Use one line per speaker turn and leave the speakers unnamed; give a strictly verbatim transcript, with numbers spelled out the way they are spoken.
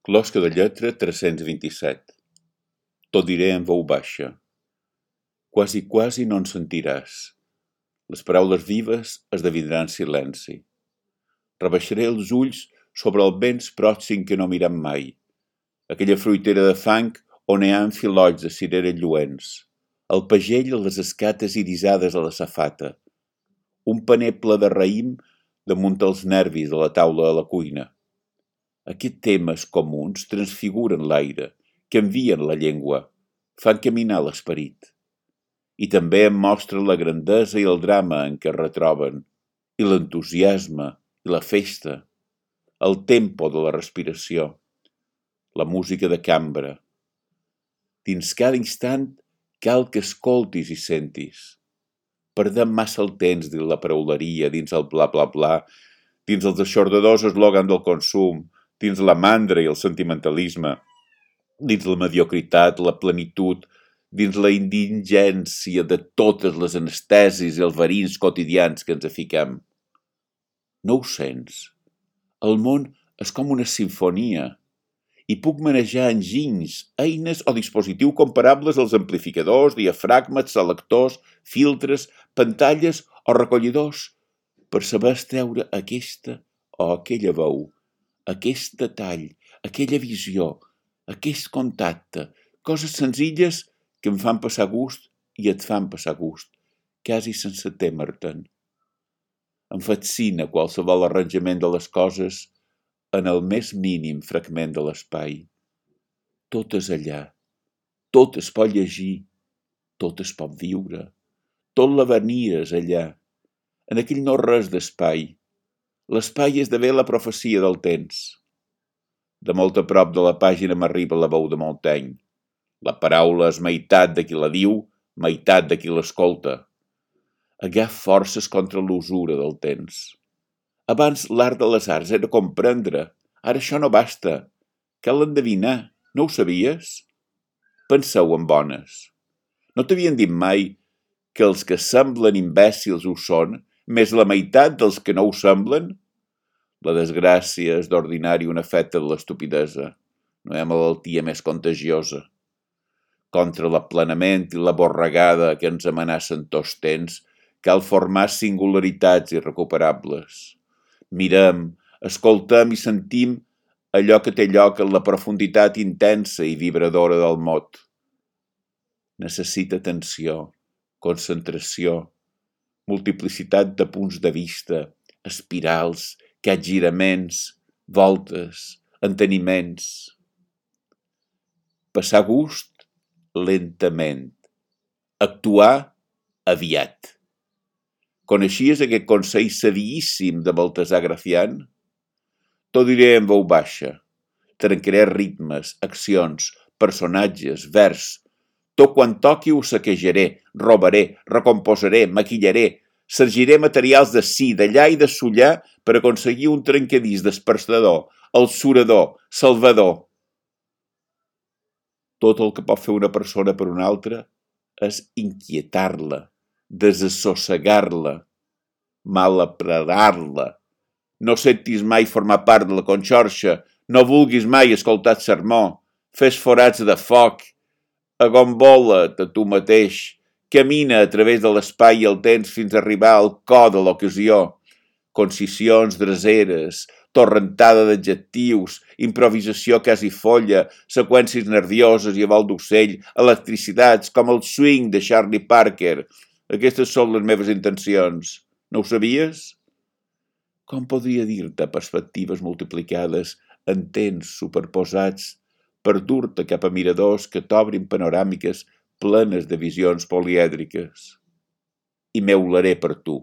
Closca de lletra tres-cents vint-i-set. T'ho diré en veu baixa. Quasi, quasi no en sentiràs. Les paraules vives esdevindran silenci. Rebaixaré els ulls sobre el vents pròxim que no mirem mai. Aquella fruitera de fang on hi ha filolls de cirera lluents. El pagell a les escates irisades a la safata. Un paner ple de raïm damunt els nervis de la taula de la cuina. Aquests temes comuns transfiguren l'aire, canvien la llengua, fan caminar l'esperit. I també em mostren la grandesa i el drama en què es retroben, i l'entusiasme, i la festa, el tempo de la respiració, la música de cambra. Dins cada instant cal que escoltis i sentis. Perdem massa el temps dins la parauleria, dins el bla bla bla, dins els aixordadors eslògan del consum, dins la mandra i el sentimentalisme, dins la mediocritat, la plenitud, dins la indigència de totes les anestesis i els verins quotidians que ens afiquem. No ho sents? El món és com una simfonia i puc manejar enginys, eines o dispositius comparables als amplificadors, diafragmes, selectors, filtres, pantalles o recollidors per saber extreure aquesta o aquella veu, aquest detall, aquella visió, aquest contacte, coses senzilles que em fan passar gust i et fan passar gust, quasi sense témer-te'n. Em fascina qualsevol arranjament de les coses en el més mínim fragment de l'espai. Tot és allà, tot es pot llegir, tot es pot viure, tot l'avenir és allà, en aquell no res d'espai. L'espai esdevé la profecia del temps. De molt a prop de la pàgina m'arriba la veu de Montaigne. La paraula és meitat de qui la diu, meitat de qui l'escolta. Agaf forces contra l'usura del temps. Abans l'art de les arts era comprendre, ara això no basta. Cal endevinar, no ho sabies? Penseu en bones. No t'havien dit mai que els que semblen imbècils ho són, més la meitat dels que no ho semblen? La desgràcia és d'ordinari un efecte de l'estupidesa. No hi ha malaltia més contagiosa. Contra l'aplanament i la borregada que ens amenacen tots temps, cal formar singularitats irrecuperables. Mirem, escoltem i sentim allò que té lloc en la profunditat intensa i vibradora del mot. Necessita atenció, concentració, multiplicitat de punts de vista, espirals, capgiraments, voltes, enteniments. Passar gust lentament, actuar aviat. Coneixies aquest consell saviíssim de Baltasar Gracián? T'ho diré en veu baixa. Trencaré ritmes, accions, personatges, vers. Tot quan toqui ho saquejaré, robaré, recomposaré, maquillaré, sergiré materials d'ací, d'allà i de sullar per aconseguir un trencadís despertador, el surador, salvador. Tot el que pot fer una persona per una altra és inquietar-la, desassossegar-la, malaparar-la. No sentis mai formar part de la conxorxa, no vulguis mai escoltar el sermó, fes forats de foc, agombola't a tu mateix, camina a través de l'espai i el temps fins a arribar al cor de l'ocasió. Concisions draseres, torrentada d'adjectius, improvisació quasi folla, seqüències nervioses i a vol d'ocell, electricitats com el swing de Charlie Parker. Aquestes són les meves intencions. No ho sabies? Com podria dir-te perspectives multiplicades en temps superposats per dur-te cap a miradors que t'obrin panoràmiques plenes de visions polièdriques? I m'eularé per tu.